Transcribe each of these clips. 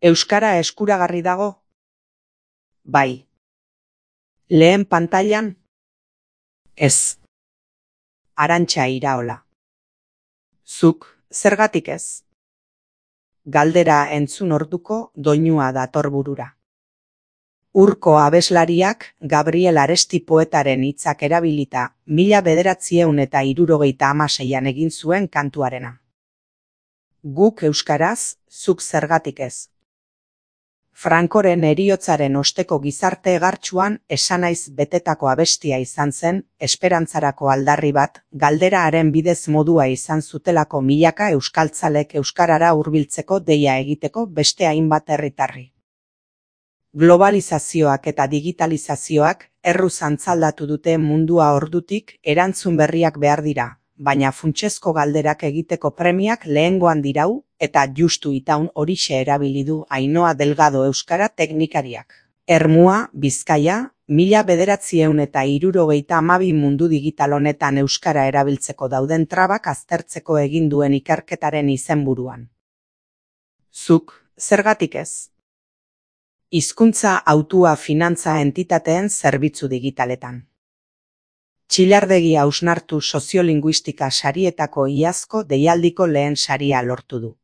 Euskara eskuragarri dago? Bai. Lehen pantailan? Ez. Arantxa Iraola. Zuk, zergatik ez? Galdera entzun orduko doinua dator burura. Urko abeslariak Gabriel Aresti poetaren hitzak erabilita 1976an egin zuen kantuarena. Guk euskaraz, zuk zergatik ez. Frankoren heriotzaren osteko gizarte egartsuan esanaiz betetako abestia izan zen, esperantzarako aldarri bat, galdera haren bidez modua izan zutelako milaka euskaltzalek euskarara hurbiltzeko deia egiteko beste hainbat herritarri. Globalizazioak eta digitalizazioak erruz antzaldatu dute mundua ordutik, erantzun berriak behar dira, baina funtsezko galderak egiteko premiak lehengoan dirau, eta justu itaun horixe erabili du Ainhoa Delgado euskara teknikariak. Ermua, Bizkaia, 1972 mundu digital honetan euskara erabiltzeko dauden trabak aztertzeko egin duen ikerketaren izenburuan. Zuk, zergatik ez? Hizkuntza hautua finantza entitateen zerbitzu digitaletan. Txillardegi hausnartu soziolinguistika sarietako iazko deialdiko lehen saria lortu du.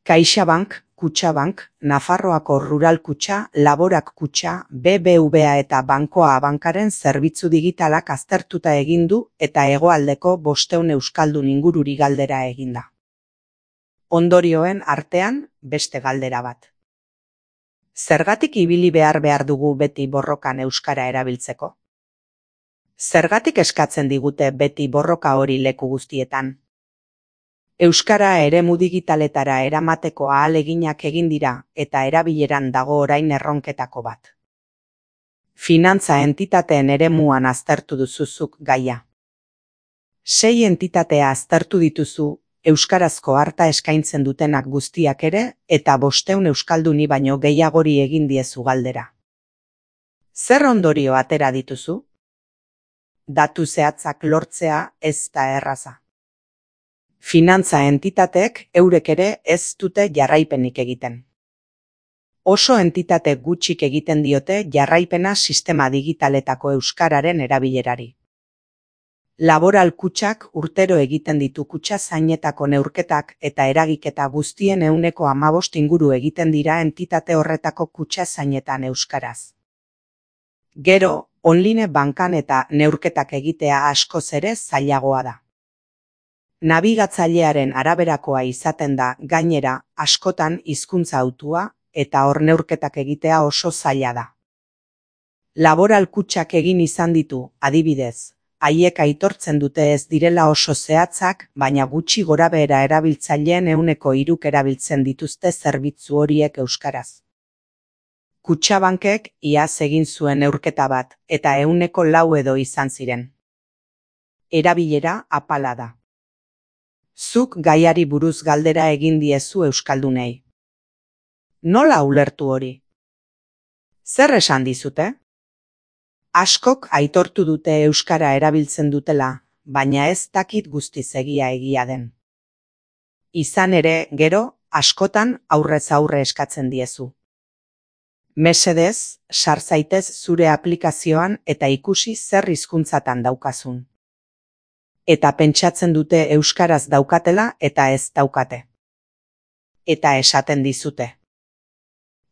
CaixaBank, Kutxabank, Nafarroako Rural Kutxa, Laborak Kutxa, BBVA eta Bankoa Abankaren zerbitzu digitalak aztertuta egin du eta hegoaldeko 500 euskaldun ingururi galdera eginda. Ondorioen artean beste galdera bat. Zergatik ibili behar dugu beti borrokan euskara erabiltzeko? Zergatik eskatzen digute beti borroka hori leku guztietan? Euskara eremu digitaletara eramateko ahaleginak egin dira eta erabileran dago orain erronketako bat. Finantza entitateen eremuan aztertu duzuzuk gaia. 6 entitatea aztertu dituzu, euskarazko arta eskaintzen dutenak guztiak ere, eta 500 euskalduni baino gehiagori egin diezu galdera. Zer ondorio atera dituzu? Datu zehatzak lortzea ez da erraza. Finantza entitateek eurek ere ez dute jarraipenik egiten. Oso entitate gutxik egiten diote jarraipena sistema digitaletako euskararen erabilerari. Laboral Kutxak urtero egiten ditu kutxa zainetako neurketak eta eragiketa guztien 15% inguru egiten dira entitate horretako kutxa zainetan euskaraz. Gero, online bankan eta neurketak egitea askoz ere zailagoa da. Nabigatzailearen araberakoa izaten da, gainera, askotan hizkuntza hautua eta hor neurketak egitea oso zaila da. Laboral Kutxak egin izan ditu, adibidez, haiek aitortzen dute ez direla oso zehatzak, baina gutxi gorabehera erabiltzaileen 3% erabiltzen dituzte zerbitzu horiek euskaraz. Kutxabankek iaz egin zuen neurketa bat, eta 4% edo izan ziren. Erabilera apala da. Zuk gaiari buruz galdera egin diezu euskaldunei. Nola ulertu hori? Zer esan dizute? Askok aitortu dute euskara erabiltzen dutela, baina ez dakit guztiz egia den. Izan ere, gero, askotan aurrez aurre eskatzen diezu. Mesedez, sar zaitez zure aplikazioan eta ikusi zer hizkuntzatan daukazun. Eta pentsatzen dute euskaraz daukatela eta ez daukate. Eta esaten dizute.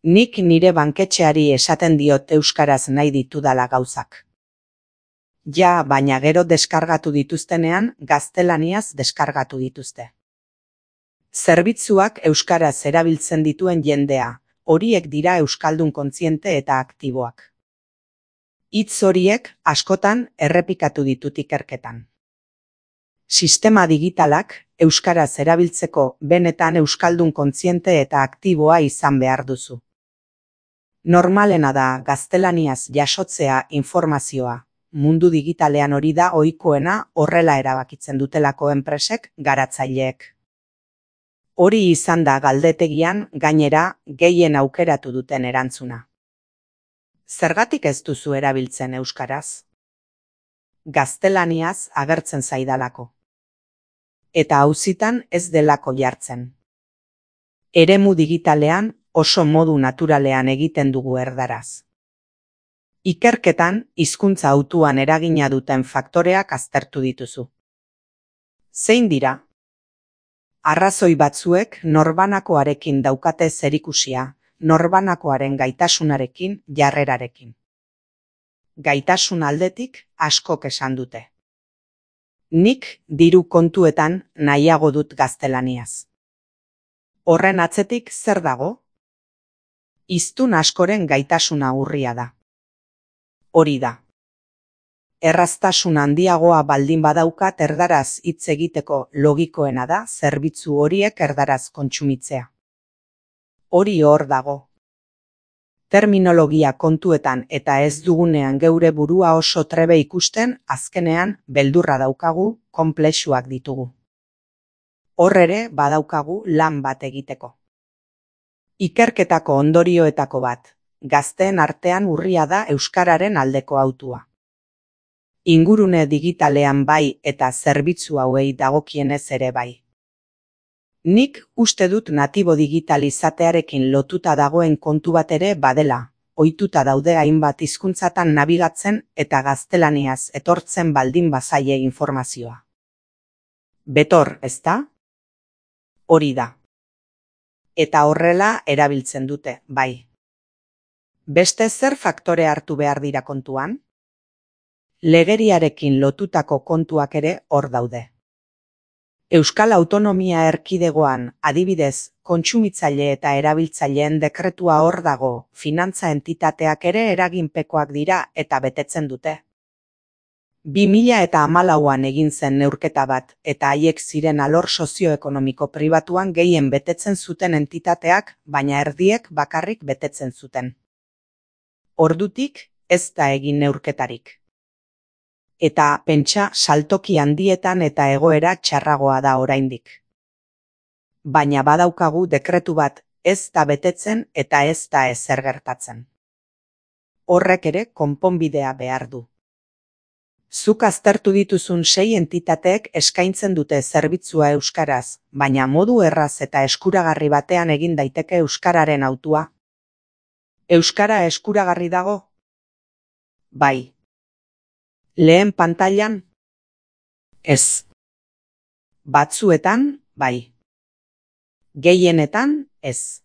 Nik nire banketxeari esaten diot euskaraz nahi ditudala gauzak. Ja, baina gero deskargatu dituztenean, gaztelaniaz deskargatu dituzte. Zerbitzuak euskaraz erabiltzen dituen jendea, horiek dira euskaldun kontziente eta aktiboak. Hitz horiek askotan errepikatu ditut ikerketan. Sistema digitalak euskaraz erabiltzeko benetan euskaldun kontziente eta aktiboa izan behar duzu. Normalena da gaztelaniaz jasotzea informazioa. Mundu digitalean hori da ohikoena horrela erabakitzen dutelako enpresek garatzaileek. Hori izan da galdetegian gainera gehien aukeratu duten erantzuna. Zergatik ez duzu erabiltzen euskaraz? Gaztelaniaz agertzen zaidalako. Eta auzitan ez delako jartzen. Eremu digitalean oso modu naturalean egiten dugu erdaraz. Ikerketan, hizkuntza hautuan eragina duten faktoreak aztertu dituzu. Zein dira? Arrazoi batzuek norbanakoarekin daukate zerikusia, norbanakoaren gaitasunarekin, jarrerarekin. Gaitasun aldetik askok esan dute. Nik diru kontuetan nahiago dut gaztelaniaz. Horren atzetik zer dago? Hiztun askoren gaitasuna urria da. Hori da. Erraztasun handiagoa baldin badaukat erdaraz hitz egiteko logikoena da zerbitzu horiek erdaraz kontsumitzea. Hori hor dago. Terminologia kontuetan eta ez dugunean geure burua oso trebe ikusten, azkenean beldurra daukagu, konplexuak ditugu. Hor ere badaukagu lan bat egiteko. Ikerketako ondorioetako bat, gazteen artean urria da euskararen aldeko hautua. Ingurune digitalean bai eta zerbitzu hauei dagokienez ere bai. Nik uste dut natibo digital izatearekin lotuta dagoen kontu bat ere badela, ohituta daude hainbat hizkuntzatan nabigatzen eta gaztelaniaz etortzen baldin bazaie informazioa. Betor, ezta? Hori da. Eta horrela erabiltzen dute, bai. Beste zer faktore hartu behar dira kontuan? Legeriarekin lotutako kontuak ere hor daude. Euskal Autonomia Erkidegoan, adibidez, kontsumitzaile eta erabiltzaileen dekretua hor dago, finantza entitateak ere eraginpekoak dira eta betetzen dute. 2014an egin zen neurketa bat, eta haiek ziren alor sozioekonomiko pribatuan gehien betetzen zuten entitateak, baina erdiek bakarrik betetzen zuten. Ordutik, ez da egin neurketarik. Eta pentsa saltoki handietan eta egoera txarragoa da oraindik. Baina badaukagu dekretu bat ez da betetzen eta ez da ezer gertatzen. Horrek ere konponbidea behar du. Zuk aztertu dituzun 6 entitateek eskaintzen dute zerbitzua euskaraz, baina modu erraz eta eskuragarri batean egin daiteke euskararen hautua. Euskara eskuragarri dago? Bai. Lehen pantailan? Ez. Batzuetan, bai. Gehienetan, ez.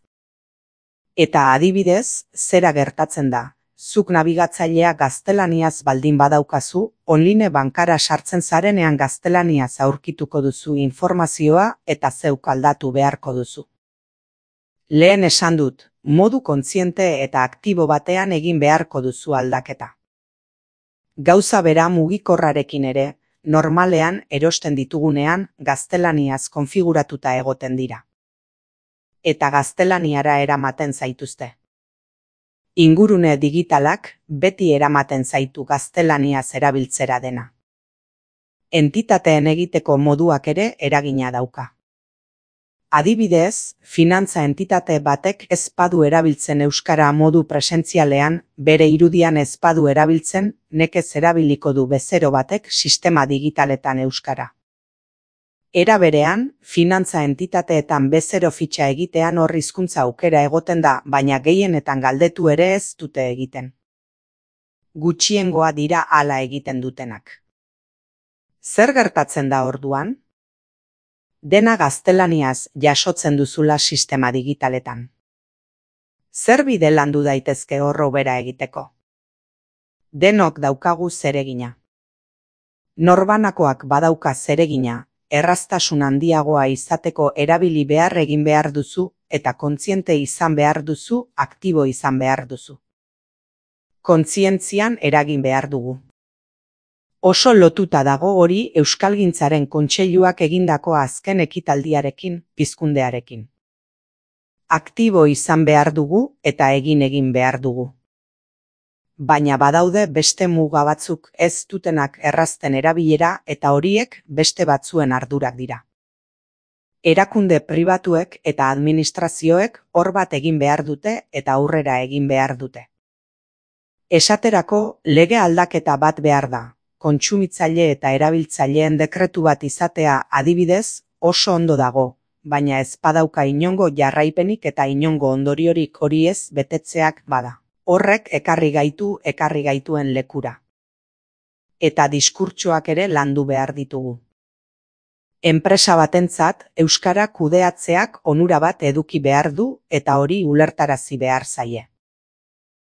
Eta adibidez, zera gertatzen da, zuk nabigatzailea gaztelaniaz baldin badaukazu, online bankara sartzen zarenean gaztelaniaz aurkituko duzu informazioa eta zeuk aldatu beharko duzu. Lehen esan dut, modu kontziente eta aktibo batean egin beharko duzu aldaketa. Gauza bera mugikorrarekin ere, normalean erosten ditugunean gaztelaniaz konfiguratuta egoten dira. Eta gaztelaniara eramaten zaituzte. Ingurune digitalak beti eramaten zaitu gaztelaniaz erabiltzera dena. Entitateen egiteko moduak ere eragina dauka. Adibidez, finantza entitate batek ez badu erabiltzen euskara modu presentzialean, bere irudian ez badu erabiltzen, nekez erabiliko du bezero batek sistema digitaletan euskara. Era berean, finantza entitateetan bezero fitxa egitean hor hizkuntza aukera egoten da, baina gehienetan galdetu ere ez dute egiten. Gutxiengoa dira hala egiten dutenak. Zer gertatzen da orduan? Dena gaztelaniaz jasotzen duzula sistema digitaletan. Zer bide landu daitezke horro bera egiteko? Denok daukagu zeregina. Norbanakoak badauka zeregina, erraztasun handiagoa izateko erabili behar egin behar duzu eta kontziente izan behar duzu, aktibo izan behar duzu. Kontzientzian eragin behar dugu. Oso lotuta dago hori Euskalgintzaren Kontseiluak egindako azken ekitaldiarekin, pizkundearekin. Aktibo izan behar dugu eta egin behar dugu. Baina badaude beste muga batzuk ez dutenak errazten erabilera eta horiek beste batzuen ardurak dira. Erakunde pribatuek eta administrazioek hor bat egin behar dute eta aurrera egin behar dute. Esaterako lege aldaketa bat behar da. Kontsumitzaile eta erabiltzaileen dekretu bat izatea adibidez oso ondo dago, baina ez badauka inongo jarraipenik eta inongo ondoriorik hori ez betetzeak bada. Horrek ekarri gaituen lekura. Eta diskurtsoak ere landu behar ditugu. Enpresa batentzat euskara kudeatzeak onura bat eduki behar du eta hori ulertarazi behar zaie.